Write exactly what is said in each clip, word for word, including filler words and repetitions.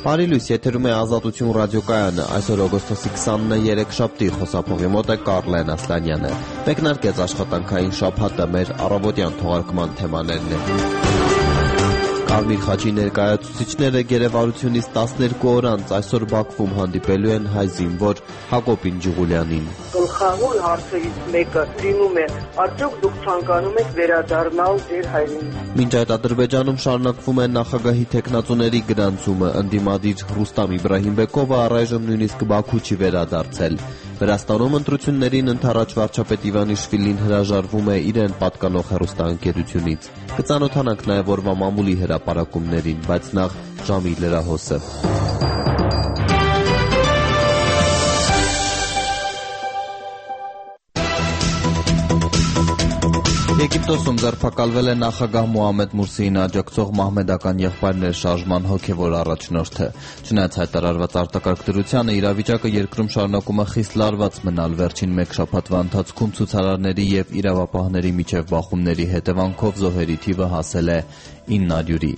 Բարի լույս, եթերում է Ազատություն ռադիոկայանը, այսօր օգոստոսի քսանինը երեքշաբթի, խոսափողի մոտ է Կարլեն Ասլանյանը։ Մեկնարկեց աշխատանքային շաբաթը, մեր առավոտյան թողարկման թեմաներն են։ Կարմիր խաչի ներկայացուցիչները գերեվարությունից տասներկու օր անց այսօր Բաքվում հանդիպելու են հայ զինվոր Հակոբ Ինջուղուլյանին։ Գլխավոր հարցերից մեկը լինում է, արդյոք դուք ցանկանում եք վերադառնալ ձեր հայրենիք։ Մինչ այդ Ադրբեջանում շարունակվում է նախագահի թեկնածուների գրանցումը, ընդդիմադիր Ռուստամ Իբրահիմբեկովը առայժմ նույնիսկ Բաքու չի վերադարձել։ Վրաստանում ընտրություններին ընդառաջ վարչապետ Իվանիշվիլին հրաժարվում է իրեն պատկանող հեռուստաընկերությունից։ Կծանոթանանք նաև օրվա մամուլի հրապարակումներին, բայց նախ ժամի լրահոսը։ Եգիպտոսում ձերբակալվել է նախագահ Մոհամեդ Մուրսիին աջակցող մահմեդական եղբայրներ շարժման հոգևոր առաջնորդը։ Չնայած հայտարարված արտակարգ դրությանը, իրավիճակը երկրում շարունակում է խիստ լարված մնալ։ Վերջին մեկ շաբաթվա ընթացքում ցուցարարների եւ իրավապահների միջև բախումների հետևանքով զոհերի թիվը հասել է իննարյուրի։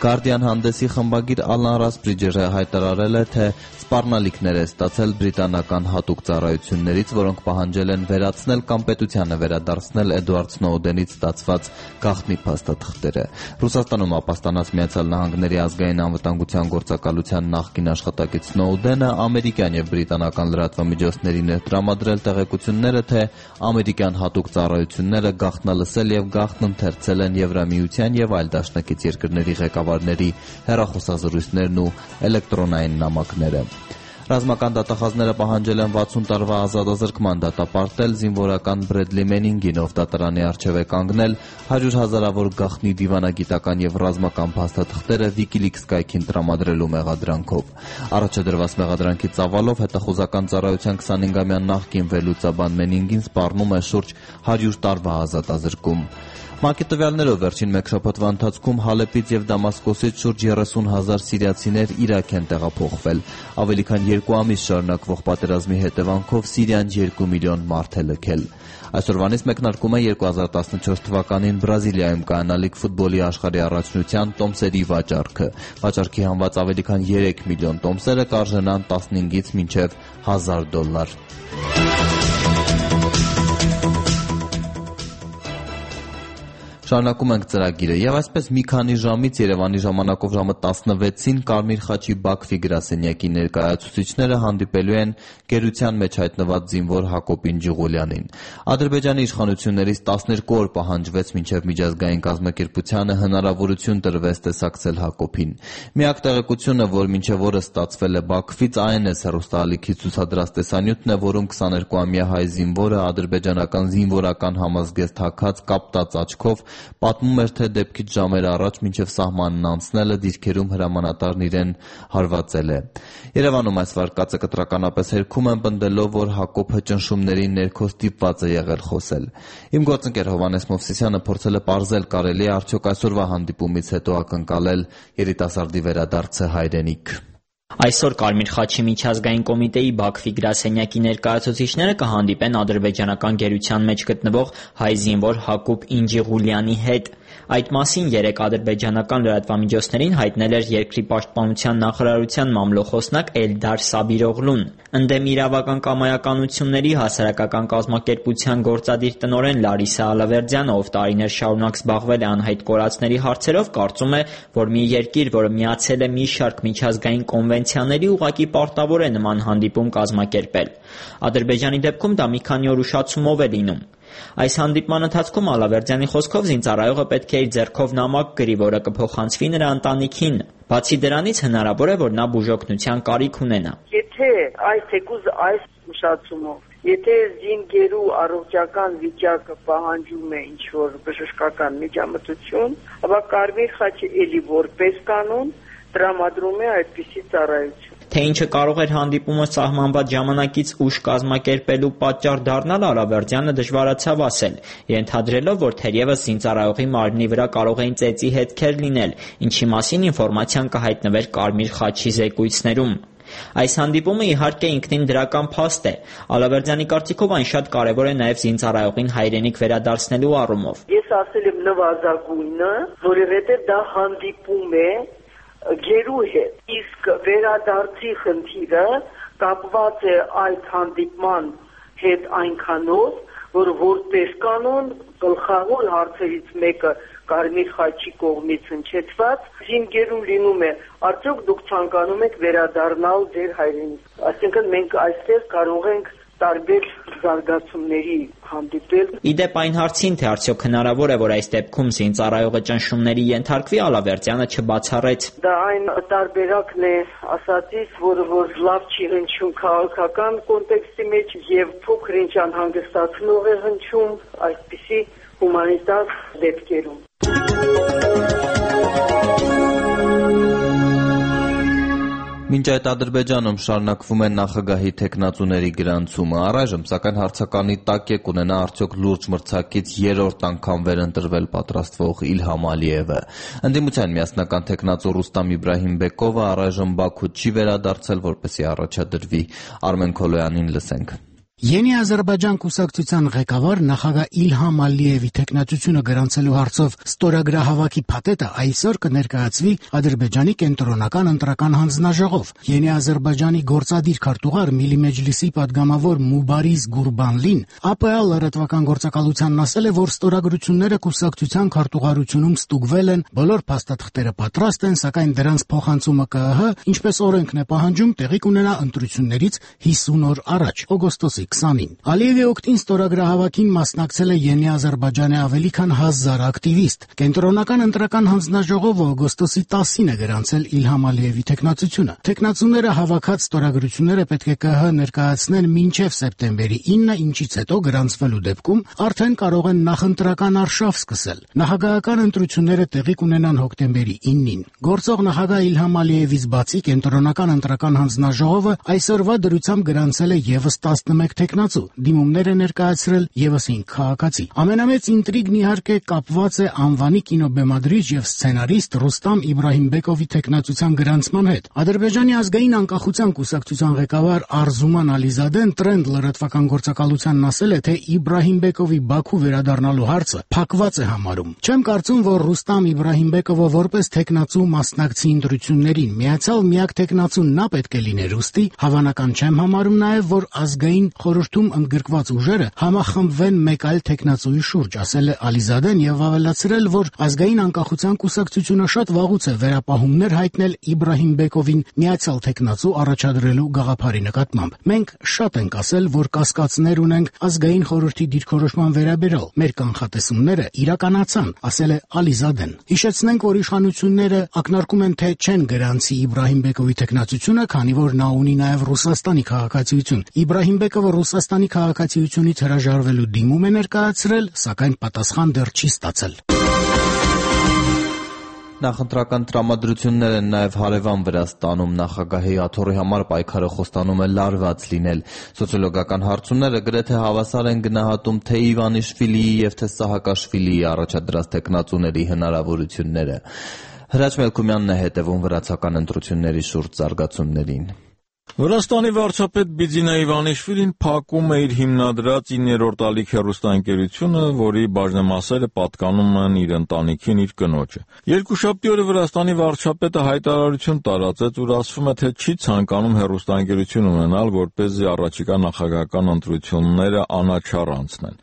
Guardian հանդեսի խմբագիր Ալան Ռասբրիջերը հայտարարել է, թե սպառնալիքներ է ստացել բրիտանական հատուկ ծառայություններից, որոնք պահանջել են վերացնել կամ պետությանը վերադարձնել Էդուարդ Սնոուդենից ստացված գաղտնի փաստաթղթերը։ Ռուսաստանում ապաստանած Միացյալ Նահանգների ազգային անվտանգության գործակալության նախկին աշխատակից Սնոուդենը ամերիկյան եւ բրիտանական լրատվամիջոցների ներտրամադրել տեղեկությունները, թե ամերիկյան հատուկ ծառայությունները գաղտնալսել եւ գաղտնընթերցել են Եվրամիության եւ այլ դաշնակից երկրների ղեկավարների հեռախոսազրույցներն ու էլեկտրոնային նամակները։ Ռազմական դատախազները պահանջել են վաթսուն տարվա ազատազրկման դատապարտել զինվորական Բրեդլի Մենինգին, ով դատարանի առջև է կանգնել հարյուր հազարավոր գաղտնի դիվանագիտական եւ ռազմական փաստաթղթերը WikiLeaks կայքին տրամադրելու մեղադրանքով։ Առաջ դրված մեղադրանքի ծավալով հետախուզական ծառայության քսանհինգամյա նախկին վերլուծաբան Մենինգին սպառնում է շուրջ հարյուր տարվա ազատազրկում։ ՄԱԿ-ի տվյալներով վերջին մեկ շաբաթվա ընթացքում Հալեպից եւ Դամասկոսից շուրջ երեսուն հազար սիրիացիներ Իրաք են տեղափոխվել։ Ավելի քան երկու ամիս շարունակվող պատերազմի հետևանքով Սիրիան երկու միլիոն մարդ է լքել։ Այսօրվանից մեկնարկում է երկու հազար տասնչորս թվականին Բրազիլիայում կայանալիք ֆուտբոլի աշխարհի առաջնության տոմսերի վաճառքը։ Վաճառքի հանված ավելի քան երեք միլիոն տոմսերը կարժենան տասնհինգից մինչև հազար դոլար։ Շարունակում ենք ծրագիրը եւ այսպես մի քանի ժամից Երևանի ժամանակով ժամը տասնվեցին Կարմիր խաչի Բաքվի գրասենյակի ներկայացուցիչները հանդիպելու են գերության մեջ հայտնված զինվոր Հակոբ Ինջուղուլյանին։ Ադրբեջանի իշխանություններից տասներկու օր պահանջվեց մինչև միջազգային կազմակերպությանը հնարավորություն տրվեց տեսակցել Հակոբին։ Միակ տեղեկությունը, որ մինչև օրը ստացվել է Բաքվից, այն է հեռուստաալիքի ցուցադրած տեսանյութն է, որում քսաներկուամյա հայ զինվորը ադրբեջանական զինվորական համազգեստ հագած կապտած աչքով պատմում էր, թե դեպքից ժամեր առաջ մինչև սահմանն անցնելը դիրքերում հրամանատարն իրեն հարվածել է։ Երևանում այս վարկածը կտրականապես հերքում են պնդելով, որ Հակոբը ճնշումների ներքո ստիպված է եղել խոսել։ Իմ գործընկեր Հովհաննես Մովսիսյանը փորձել է պարզել, կարելի է արդյոք այսօրվա հանդիպումից հետո ակնկալել երիտասարդի վերադարձը հայրենիք։ Այսօր Կարմիր խաչի միջազգային կոմիտեի Բաքվի գրասենյակի ներկայացուցիչները կհանդիպեն ադրբեջանական գերության մեջ գտնվող հայ զինվոր Հակոբ Ինջուղուլյանի հետ։ Այդ մասին երեկ ադրբեջանական լրատվամիջոցներին հայտնել էր երկրի պաշտպանության նախարարության մամլոխոսնակ Էլդար Սաբիրօղլուն։ Ընդդեմ իրավական կամայականությունների հասարակական կազմակերպության գործադիր տնօրեն Լարիսա Ալավերդյանը, ով տարիներ շարունակ զբաղվել է անհայտ կորածների հարցերով, կարծում է, որ մի երկիր, որը միացել է մի շարք միջազգային կոնվենցիաների, ուղղակի պարտավոր է նման հանդիպում կազմակերպել։ Ադրբեջանի դեպքում դա մի քանի օր ուշացումով է լինում։ Այս հանդիպման ընթացքում Ալավերդյանի խոսքով զինծառայողը պետք է իր ձեռքով նամակ գրի, որը կփոխանցվի նրա ընտանիքին։ Բացի դրանից հնարավոր է, որ նա բուժօգնության կարիք ունենա։ Եթե այս թեկուզ այս ուշացումով Եթե զինգերու առողջական վիճակը պահանջում է ինչ-որ բժշկական միջամտություն, ապա Կարմիր խաչը էլի որպես կանոն տրամադրում է այդպիսի ծառայություն։ Թե ինչը կարող էր հանդիպումը սահմանված ժամանակից ուշ կազմակերպելու պատճառ դառնալ, Ալավերդյանը դժվարացավ ասել, ենթադրելով, որ թերևս զինծառայողի մարմնի վրա կարող էին ծեծի հետքեր լինել, ինչի մասին ինֆորմացիան կհայտնվեր Կարմիր խաչի զեկույցներում։ Այս հանդիպումը իհարկե ինքնին դրական փաստ է։ Ալավերդյանի կարծիքով այն շատ կարևոր է նաև զինծառայողին հայրենիք վերադարձնելու առումով։ Ես ասել եմ նվազագույնը, որովհետև դա հանդիպում է գերու հետ։ Իսկ վերադարձի խնդիրը կապված է այդ հանդիպման հետ այնքանով, որ որպես կանոն գլխավոր հարցերից մեկը Կարմիր խաչի կողմից հնչեցված զինգերու լինում է, արդյոք դուք ցանկանում եք վերադառնալ ձեր հայրենիք։ Այսինքն մենք այստեղ կարող ենք տարբեր զարգացումների հանդիպել։ Իդեպ այն հարցին, թե արդյոք հնարավոր է, որ այս դեպքում զինծառայողը ճնշումների ենթարկվի, Ալավերդյանը չբացառեց։ Դա այն տարբերակն է ասածից, որը որ լավ չի հնչում քաղաքական կոնտեքստի մեջ եւ փոքր ինչ անհանգստացնող է հնչում այսպիսի հումանիտար դեպքերում։ Մինչ այդ Ադրբեջանում շարունակվում է նախագահի թեկնածուների գրանցումը, առայժմ սակայն հարցականի տակ է կունենա արդյոք լուրջ մրցակից երրորդ անգամ վերընտրվել պատրաստվող Իլհամ Ալիևը։ Ընդդիմության միասնական թեկնածու Ռուստամ Իբրահիմբեկովը առայժմ Բաքու չի վերադարձել, որպեսզի առաջադրվի։ Արմեն Քոլոյանին լսենք։ Յենի Ադրբեջան կուսակցության ղեկավար նախագահ Իլհամ Ալիևի թեկնածությունը գրանցելու հարցով ստորագրահավաքի փաթեթը այսօր կներկայացվի Ադրբեջանի կենտրոնական ընտրական հանձնաժողով։ Յենի Ադրբեջանի գործադիր քարտուղար Միլի Մեջլիսի падգամավոր Մուբարիզ Գուրբանլին ԱՊՀ լրատվական գործակալությանն ասել է, որ ստորագրությունները կուսակցության քարտուղարությունում ստուգվել են, բոլոր փաստաթղթերը պատրաստ են, սակայն դրանց փոխանցումը ԿԸՀ, ինչպես օրենքն է պահանջում, տեղի կունենա ընտրություններից հիսուն օր առաջ, օգոստոսի քսանին։ Ալիևի օգտին ստորագրահավաքին մասնակցել է Յենի Ադրբեջանի ավելի քան հազար ակտիվիստ։ Կենտրոնական ընտրական հանձնաժողովը օգոստոսի տասին է գրանցել Իլհամ Ալիևի թեկնածությունը։ Թեկնածուները հավաքած ստորագրությունները պետք է ԿՀ ներկայացնեն մինչև սեպտեմբերի ինը, ինչից հետո գրանցվելու դեպքում արդեն կարող են նախընտրական արշավ սկսել։ Նախագահական ընտրությունները տեղի կունենան հոկտեմբերի ինին։ Գործող նախագահ Իլհամ Ալիևից բացի կենտրոնական ընտրական հանձնաժողովը այսօրվա դրությամբ գրանցել է եւս տասնմեկ թեկնածու, դիմումներ է ներկայացրել եւս հինգ քաղաքացի։ Ամենամեծ ինտրիգն իհարկե կապված է անվանի կինոբեմադրիչ եւ սցենարիստ Ռուստամ Իբրահիմբեկովի թեկնածության գրանցման հետ։ Ադրբեջանի ազգային անկախության կուսակցության ղեկավար Արզուման Ալիզադեն Տրենդ լրատվական գործակալությանն ասել է, թե Իբրահիմբեկովի Բաքու վերադառնալու հարցը փակված է համարում։ Չեմ կարծում, որ Ռուստամ Իբրահիմբեկովը որպես թեկնածու մասնակցի ընտրություններին, միացյալ միակ թեկնածուն նա պետք է լիներ, ուստի հավանական չեմ համարում նաեւ, որ ազգային խորհրդում ընդգրկված ուժերը համախմբվեն մեկ այլ թեկնածուի շուրջ, ասել է Ալիզադեն եւ ավելացրել, որ ազգային անկախության կուսակցությունը շատ վաղուց է վերապահումներ հայտնել Իբրահիմբեկովին միացյալ թեկնածու առաջադրելու գաղափարի նկատմամբ։ Մենք շատ ենք ասել, որ կասկածներ ունենք ազգային խորհրդի դիրքորոշման վերաբերյալ։ Մեր կանխատեսումները իրականացան, ասել է Ալիզադեն։ Հիշեցնենք, որ իշխանությունները ակնարկում են, թե չեն գրանցի Իբրահիմբեկովի թեկնածությունը, քանի որ նա ունի նաեւ Ռուսաստանի քաղաքացիություն։ Իբրահիմբեկովը Ռուսաստանի քաղաքացիությունից հրաժարվելու դիմում է ներկայացրել, սակայն պատասխան դեռ չի ստացել։ Նախընտրական տրամադրություններ են նաև հարևան Վրաստանում։ Նախագահի աթոռի համար պայքարը խոստանում է լարված լինել։ Սոցիոլոգական հարցումները գրեթե հավասար են գնահատում թե Իվանիշվիլիի եւ թե Սահակաշվիլիի առաջադրած թեկնածուների հնարավորությունները։ Հրաչ Մելքումյանն է հետևում վրացական ընտրությունների շուրջ զարգացումներին։ Վրաստանի վարչապետ Բիձինա Իվանիշվիլին փակում է իր հիմնադրած իններորդ ալիք հեռուստաընկերությունը, որի բաժնեմասերը պատկանում են իր ընտանիքին, իր կնոջը։ Երկուշաբթի օրը Վրաստանի վարչապետը հայտարարություն տարածեց, ուր ասվում է, թե չի ցանկանում հեռուստաընկերություն ունենալ, որպեսզի առաջիկա նախագահական ընտրությունները անաչառ անցնեն։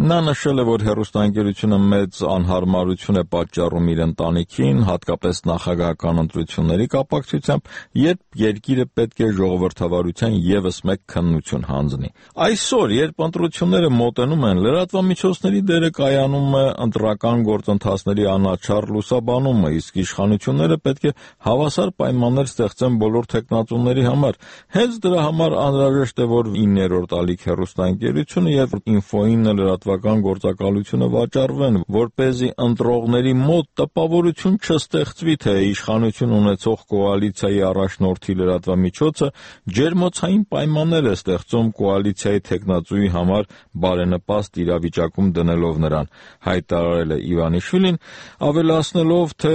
Նա նշել է, որ հեռուստաընկերությունը մեծ անհարմարություն է պատճառում իր ընտանիքին, հատկապես նախագահական ընտրությունների կապակցությամբ, երբ երկիրը պետք է ժողովրդավարության եւս մեկ քննություն հանձնի։ Այսօր, երբ ընտրությունները մոտենում են, լրատվամիջոցների դերը կայանում է ընտրական գործընթացների անաչառ լուսաբանումը, իսկ իշխանությունները պետք է հավասար պայմաններ ստեղծեն բոլոր թեկնածուների համար։ Հենց դրա համար անհրաժեշտ է, որ իններորդ ալիք հեռուստաընկերությունը եւ ինֆոինը լրատվական գործակալությունը վաճառվեն, որպեսզի ընտրողների մոտ տպավորություն չստեղծվի, թե իշխանություն ունեցող կոալիցիայի առաջնորդի լրատվամիջոցը ջերմոցային պայմաններ է ստեղծում կոալիցիայի թեկնածուի համար բարենպաստ իրավիճակում դնելով նրան, հայտարարել է Իվանիշվիլին, ավելացնելով, թե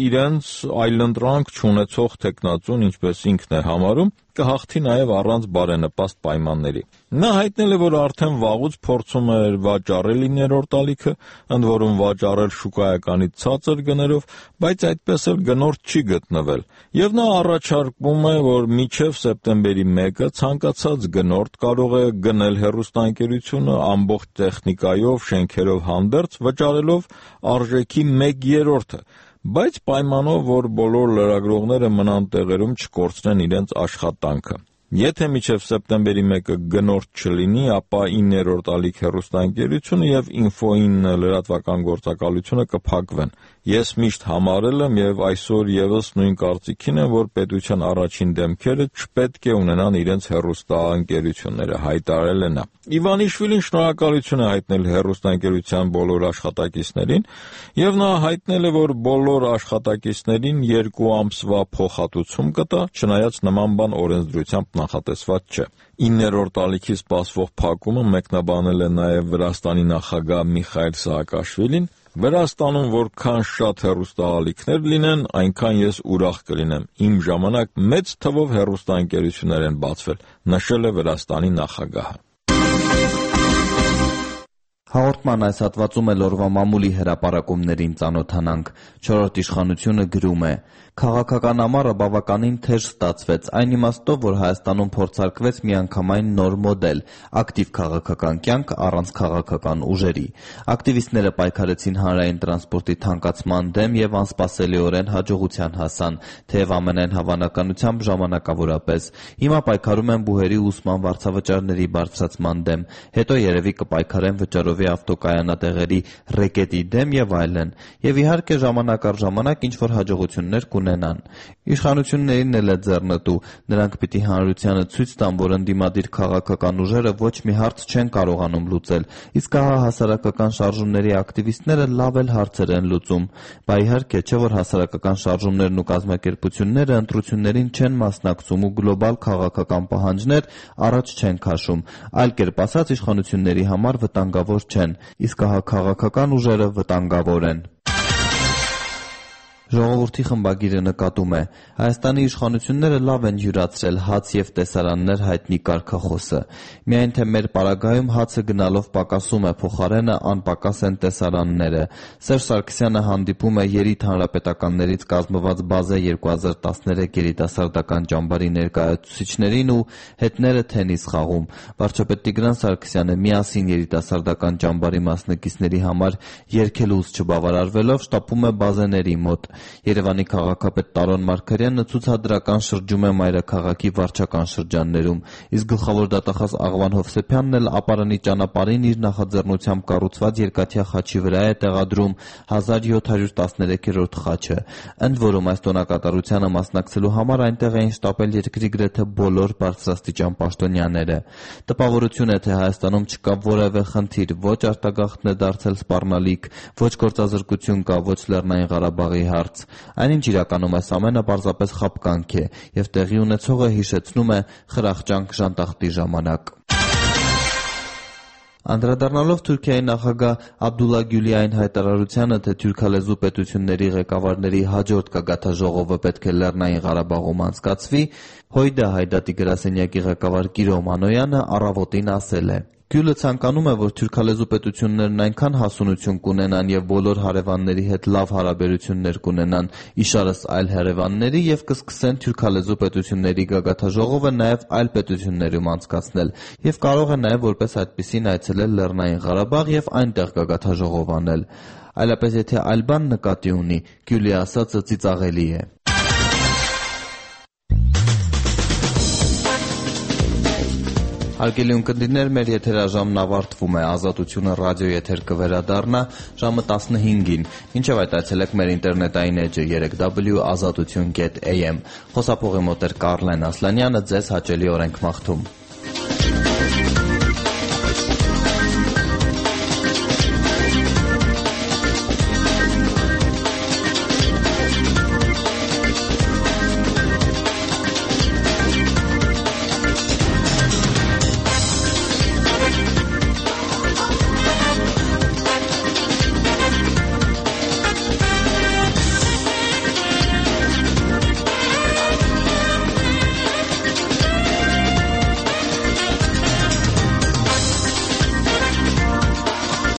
իրենց այլընտրանք չունեցող թեկնածուն, ինչպես ինքն է համարում, կհաղթի նաև առանց բարենպաստ պայմանների։ Նա հայտնել է, որ արդեն վաղուց փորձում էր վաճառել իններորդ ալիքը, ընդ որում վաճառել շուկայականից ցածր գներով, բայց այդպես էլ գնորդ չի գտնվել։ Եվ նա առաջարկում է, որ մինչև սեպտեմբերի մեկը ցանկացած գնորդ կարող է գնել հեռուստաընկերությունը ամբողջ տեխնիկայով, շենքերով հանդերձ, վճարելով արժեքի մեկ երրորդը, բայց պայմանով, որ բոլոր լրագրողները մնան տեղերում չկորցնեն իրենց աշխատանքը։ Եթե մինչև սեպտեմբերի մեկը գնորդ չլինի, ապա իններորդ ալիք հեռուստաընկերությունը եւ Ինֆոին լրատվական գործակալությունը կփակվեն։ Ես միշտ համարել եմ եւ այսօր եւս նույն կարծիքին եմ, որ պետության առաջին դեմքերը չպետք է ունենան իրենց հեռուստաընկերությունները, հայտարարել է նա։ Իվանիշվիլին շնորհակալություն է հայտնել հեռուստաընկերության բոլոր աշխատակիցներին եւ նա հայտնել է, որ բոլոր աշխատակիցներին երկու ամսվա փոխհատուցում կտա, չնայած նման բան օրենսդրությամբ նախատեսված չէ։ Իններորդ ալիքի սպասվող փակումը մեկնաբանել է նաև Վրաստանի նախագահ Միխայիլ Սահակաշվիլին։ Վրաստանում որքան շատ հեռուստաալիքներ լինեն, այնքան ես ուրախ կլինեմ։ Իմ ժամանակ մեծ թվով հեռուստաընկերություններ են բացվել, նշել է Վրաստանի նախագահը։ Հաղորդման այս հատվածում էլ օրվա մամուլի հրապարակումներին ծանոթանանք։ Չորրորդ իշխանությունը գրում է. Քաղաքական ամառը բավականին թեժ ստացվեց, այն իմաստով, որ Հայաստանում փորձարկվեց միանգամայն նոր մոդել՝ ակտիվ քաղաքական կյանք առանց քաղաքական ուժերի։ Ակտիվիստները պայքարեցին հանրային տրանսպորտի թանկացման դեմ եւ անսպասելիորեն հաջողության հասան, թեև ամենայն հավանականությամբ ժամանակավորապես։ Հիմա պայքարում են բուհերի ուսման վարձավճարների բարձրացման դեմ, հետո երևի կպայքարեն վճարովի ավտոկայանատեղերի ռեկետի դեմ եւ այլն։ Եվ իհարկե ժամանակ առ ժամանակ ինչ-որ հաջողություններ կունենան։ Իշխանություններին էլ է ձեռնտու, նրանք պիտի հանրությանը ցույց տան, որ ընդդիմադիր քաղաքական ուժերը ոչ մի հարց չեն կարողանում լուծել, իսկ ահա հասարակական շարժումների ակտիվիստները լավ էլ հարցեր են լուծում։ Բա իհարկե չէ, որ հասարակական շարժումներն ու կազմակերպությունները ընտրություններին չեն մասնակցում ու գլոբալ քաղաքական պահանջներ առաջ չեն քաշում, այլ կերպ ասած իշխանությունների համար վտանգավոր չեն, իսկ ահա քաղաքական ուժերը վտանգավոր են։ Ժողովրդի խմբագիրը նկատում է. Հայաստանի իշխանությունները լավ են յուրացրել հաց եւ տեսարաններ հայտնի կարգախոսը։ Միայն թե մեր պարագայում հացը գնալով պակասում է, փոխարենը անպակաս են տեսարանները։ Սերժ Սարգսյանը հանդիպում է երիտ հանրապետականներից կազմված բազե երկու հազար տասներեք երիտասարդական ճամբարի ներկայացուցիչներին ու հետները թենիս խաղում։ Վարչապետ Տիգրան Սարգսյանը միասին երիտասարդական ճամբարի մասնակիցների համար երգելուց չբավարարվելով շտապում է բազեների մոտ։ Երևանի քաղաքապետ Տարոն Մարգարյանը ցուցադրական շրջում է մայրաքաղաքի վարչական շրջաններում, իսկ գլխավոր դատախազ Աղվան Հովսեփյանն էլ ապարանի ճանապարհին իր նախաձեռնությամբ կառուցված երկաթյա խաչի վրա է տեղադրում հազար յոթ հարյուր տասներեքերորդ խաչը։ Ընդ որում այս տոնակատարությանը մասնակցելու համար այնտեղ էին շտապել երկրի գրեթե բոլոր բարձրաստիճան պաշտոնյաները։ Տպավորություն է, թե Հայաստանում չկա որևէ խնդիր, ոչ արտագաղթն է դարձել սպառնալիք, ոչ գործազրկություն կա, ոչ Լեռնային Ղարաբաղի հարց։ Այնինչ իրականում այս ամենը պարզապես խաբկանք է եւ տեղի ունեցողը հիշեցնում է խրախճանք ժանտախտի ժամանակ։ Անդրադառնալով Թուրքիայի նախագահ Աբդուլլա Գյուլիային հայտարարությանը, թե թուրքալեզու պետությունների ղեկավարների հաջորդ գագաթաժողովը պետք է Լեռնային Ղարաբաղում անցկացվի, Հույդա Հայդատի գրասենյակի ղեկավար Կիրո Մանոյանը առավոտին ասել է. Գյուլը ցանկանում է, որ թուրքալեզու պետություններն այնքան հասունություն կունենան եւ բոլոր հարևանների հետ լավ հարաբերություններ կունենան, իշարս այլ հարևանների եւ կսկսեն թուրքալեզու պետությունների գագաթաժողովը նաեւ այլ պետություններում անցկացնել եւ կարող է նաեւ որպես այդպիսին այցելել Լեռնային Ղարաբաղ եւ այնտեղ գագաթաժողով անել։ Այլապես եթե այլ բան նկատի ունի, Գյուլի ասածը ծիծաղելի է։ Հարգելի ունկնդիրներ, մեր եթերաժամն ավարտվում է, Ազատությունը ռադիոյի եթեր կվերադառնա ժամը տասնհինգին, մինչև այդ այցելեք մեր ինտերնետային էջը երեք w ազատություն կետ a m։ Խոսափողի մոտ էր Կարլեն Ասլանյանը, ձեզ հաճելի օրենք մաղթում։